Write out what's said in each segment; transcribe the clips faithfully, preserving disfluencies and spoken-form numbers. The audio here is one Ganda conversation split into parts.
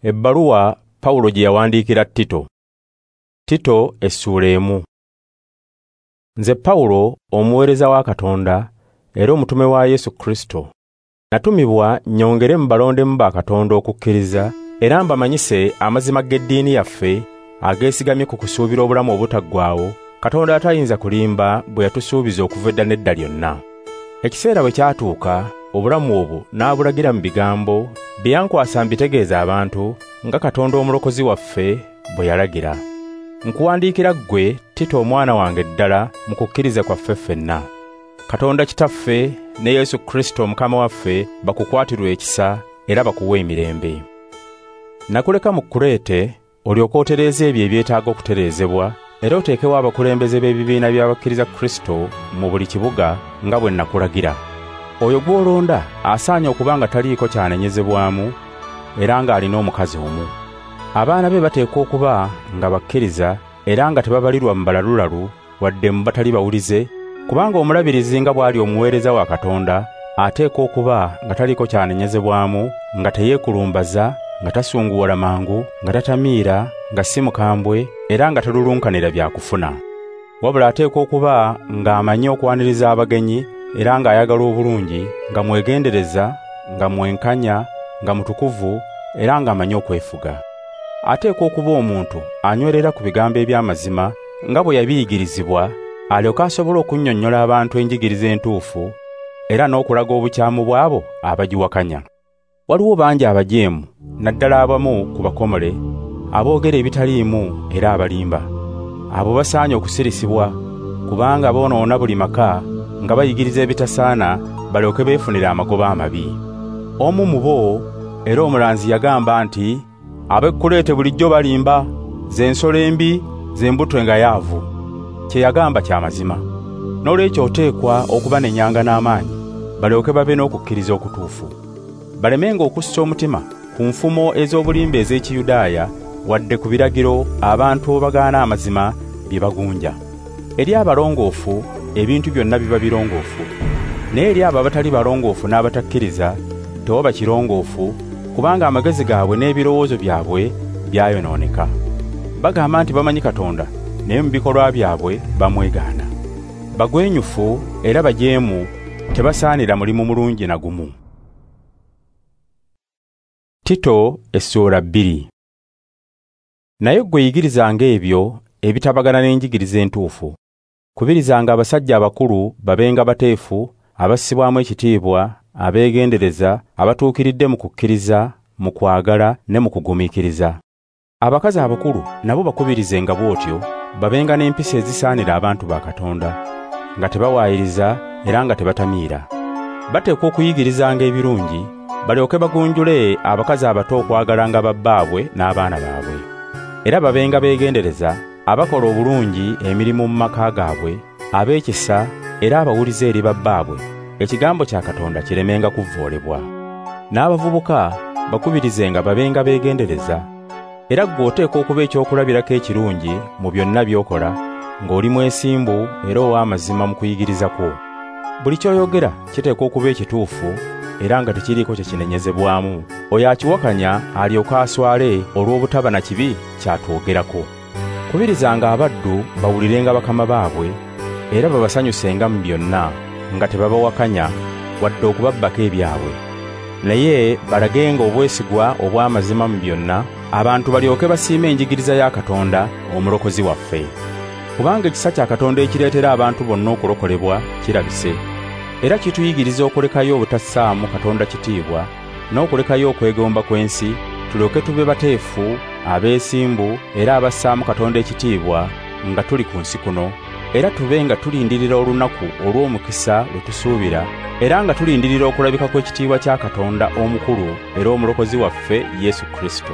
Ebbaluwa Pawulo gye yawandiikira Tito. Tito essuula emu. Nze Pawulo omuweereza wa Katonda era omutume wa Yesu Kristo. Natumibwa nnyongere mu balondemu ba Katonda okukkiriza era mbamanyise amazima g'eddiini yaffe ageesigamye ku kusuubira obulamu obutaggwaawo Katonda atayinza kulimba bwe yatusuubiza okuva edda n'edda lyonna. Ekiseera bwe kyatuuka, obulamu obwo n'abulagira mu bigambo bye yankwasa mbitegeeza abantu nga Katonda omulokozi waffe bwe yalagira. Nkuwandiikira ggwe Tito omwana wange ddala mu kukkiriza kwaffe ffenna. Katonda Kitaffe ne Yesu Kristo Mukama waffe bakukwatirwe ekisa era bakuwe emirembe. Nakuleka mu Kureete olyoke otereeze ebyo ebyetaaga okutereezebwa era oteekewo abakulembeze b'ebibiina by'abakkiriza Kristo mu buli kibuga nga bwe nakulagira. Oyo gw'olonda asaanye okuba nga taliiko kyanenyezebwamu era ng'alina omukazi omu. Abaana be bateekwa okuba nga bakkiriza era nga tebabalirwa mu balalulalu wadde mu batali bawulize, kubanga omulabirizi nga bw'ali omuweereza wa Katonda ateekwa okuba nga taliiko kyanenyezebwamu, nga teyeekulumbaza, nga tasunguwala mangu, nga tatamiira, nga si mukambwe era nga talulunkanira bya kufuna. Wabula ateekwa okuba ng'amanyi okwaniriza abagenyi era ng'ayagala obulungi, nga mwegendereza, nga mwenkanya, nga mutukuvu era ng'amanyi okwefuga. Ateekwa okuba omuntu anywerera ku bigambo eby'amazima nga bwe yabiyigirizibwa, alyoke asobole okunnyonnyola abantu enjigiriza entuufu era n'okulaga obukyamu bw'abo abagiwakanya. Waliwo bangi abajeemu, naddala abamu ku bakomole, aboogera ebitaliimu era abalimba. Abo basaanye okusirisibwa, kubanga boonoona buli maka nga bayigiriza ebitasaana balyoke beefunire amagoba amabi. Omu mu bo era omulanzi yagamba nti, ab'e Kureete bulijjo balimba, ze nsolo embi, ze mbuto engayaavu. Kye yagamba kya mazima. Noolwekyo oteekwa okubanenyanga n'amaanyi, balyoke babe n'okukkiriza okutuufu. Balemenga okussa omutima ku nfumo ez'obulimba ez'Ekiyudaaya wadde ku biragiro abantu abagaana amazima bye bagunja. Eri abalongoofu ebintu byonna biba birongoofu, naye eri abo abatali balongoofu n'abatakkiriza tewaba kirongoofu, kubanga amagezi gaabwe n'ebirowoozo byabwe byayonooneka. Bagamba nti bamanyi Katonda, naye mu bikolwa byabwe bamwegaana. Bagwenyufu era bajeemu, tebasaanira mulimu mulungi na gumu. Tito essuula bbiri. Naye ggwe yigirizanga ebyo ebitabagana n'enjigiriza entuufu. Kubirizanga abasajja abakulu babenga bateefu, abassibwamu ekitiibwa, abeegendereza, abatuukiridde mu kukkiriza, mu kwagala ne mu kugumiikiriza. Abakazi abakulu nabo bakubirizenga bw'otyo, babenga n'empisa ezisaanira abantu ba Katonda, nga tebawaayiriza era nga tebatamiira. Bateekwa okuyigirizanga ebirungi, balyoke bagunjule abakazi abato okwagalanga babbaabwe n'abaana baabwe. Era babenga beegendereza, abakola obulungi emirimu mu maka gaabwe, ab'ekisa era abawulize eri babbaabwe, ekigambo kya Katonda kiremenga kuvvoolebwa. N'abavubuka bakubirizenga babenga beegendereza. Era ggwe oteekwa okuba ekyokulabirako ekirungi mu byonna by'okola, ng'oli mwesimbu era ow'amazima mu kuyigiriza kwo. Buli ky'oyogera kiteekwa okuba ekituufu era nga tekiriiko kye kinenyezebwamu. Oyo akiwakanya alyoke aswale olw'obutaba na kibi kyatwogerako. Kubirizanga abaddu bawulirenga bakama baabwe era babasanyusenga mu byonna, nga tebabawakanya wadde okubabbako ebyabwe. Naye balagenga obwesigwa obw'amazima mu byonna, abantu balyoke basiime enjigiriza ya Katonda omulokozi waffe. Kubanga ekisa kya Katonda ekireetera abantu bonna okulokolebwa kirabise, era kituyigiriza okulekayo obutassaamu Katonda kitiibwa n'okulekayo okwegomba kw'ensi, tulyoke tube bateefu, abeesimbu era abassaamu Katonda ekitiibwa nga tuli ku nsi kuno, era tube nga tulindirira olunaku olw'omukisa lwe tusuubira, era nga tulindirira okulabika kw'ekitiibwa kya Katonda omukulu era omulokozi waffe Yesu Kristo.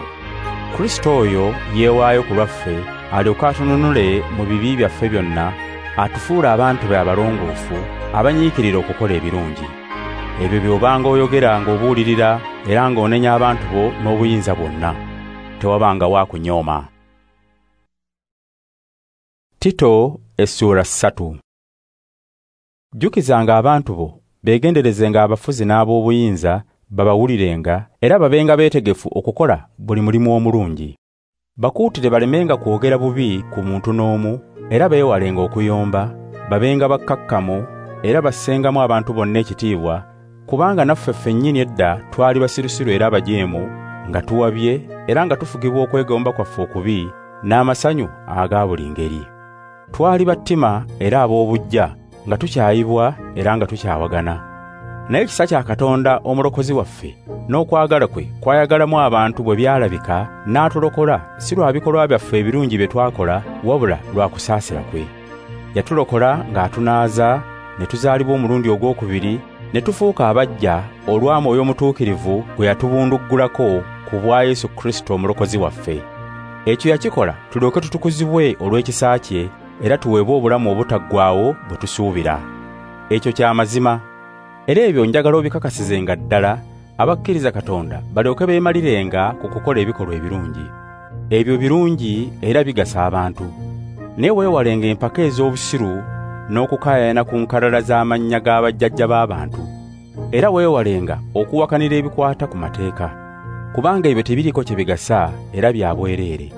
Kristo oyo yeewaayo ku lwaffe alyoke atununule mu bibi byaffe byonna, atufuule abantu be abalongoofu abanyiikirira okukola ebirungi. Ebyo by'obanga oyogera ng'obuulirira era ng'onenya abantu bo n'obuyinza bwonna. Tewabanga wa kunyooma. Tito essuula ssatu. Jjukizanga abantu bo beegenderezenga abafuzi n'ab'obuyinza Babawulirenga era babenga beetegefu okukola buli mulimu omulungi. Bakuutire balemenga kwogera bubi ku muntu n'omu, era beewalenga okuyomba, babenga bakkakkamu era bassengamu abantu bonna ekitiibwa, kubanga naffe ffennyini edda twali basirusiru era abajeemu, nga tuwabye era nga tufugibwa okwegomba kwaffe okubi n'amasanyu aga buli ngeri. Twali battima era ab'obuggya, nga tukyayibwa era nga tukyawagana. Naye ekisa kya Katonda omulokozi waffe n'okwagala kwe kwayagalamu abantu bwe byalabika, n'atulokola si lwa bikolwa byaffe ebirungi bye twakola, wabula lwa kusaasira kwe. Yatulokola ng'atunaaza ne tuzaalibwa omulundi ogwokubiri, ne tufuuka abaggya olwa Mwoyo Omutuukirivu gwe yatubunduggulako ku bwa Yesu Kristo omulokozi waffe. Ekyo yakikola tulyoke tutukuzibwe olw'ekisa kye era tuweebwe obulamu obutaggwaawo bwe tusuubira. Ekyo kya mazima. Era ebyo njagala obikakasizenga ddala abakkiriza Katonda balyoke beemalirenga ku kukola ebikolwa ebirungi. Ebyo birungi era bigasa abantu. Naye weewalenga empaka ez'obusiru n'okukaayana ku nkalala z'amannya g'abajjajja b'abantu. Era weewalenga okuwakanira ebikwata ku mateeka, kubanga ebyo tebiriiko kye bigasa era bya bwereere.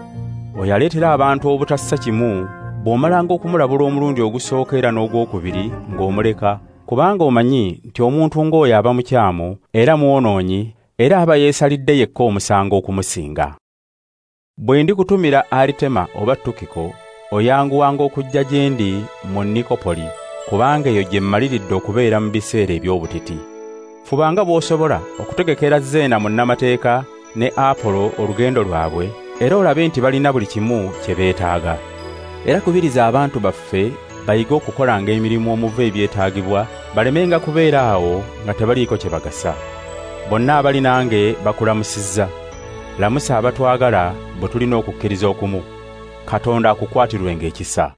Oyo aleetera abantu obutassa kimu bw'omalanga okumulabula omulundi ogusooka era n'ogwokubiri ng'omuleka, kubanga omanyi nti omuntu ng'oyo aba mukyamu era mwonoonyi era aba yeesalidde yekka omusango okumusinga. Bwe ndikutumira Aritema oba Tukiko, oyanguwanga okujja gye ndi mu Nikopoli, kubanga eyo gye mmaliridde okubeera mu biseera eby'obutiti. Fubanga bw'osobola okutegekera Zeena munnamateeka ne Apolo olugendo lwabwe, era olabe nti balina buli kimu kye beetaaga. Era kubiriza abantu baffe bayige okukolanga emirimu omuva ebyetaagibwa, balemenga kubeera awo nga tebaliiko kye bagasa. Bonna abali nange bakulamusizza. Lamusa abatwagala bwe tulina okukkiriza okumu. Katonda akukwatirwenga ekisa.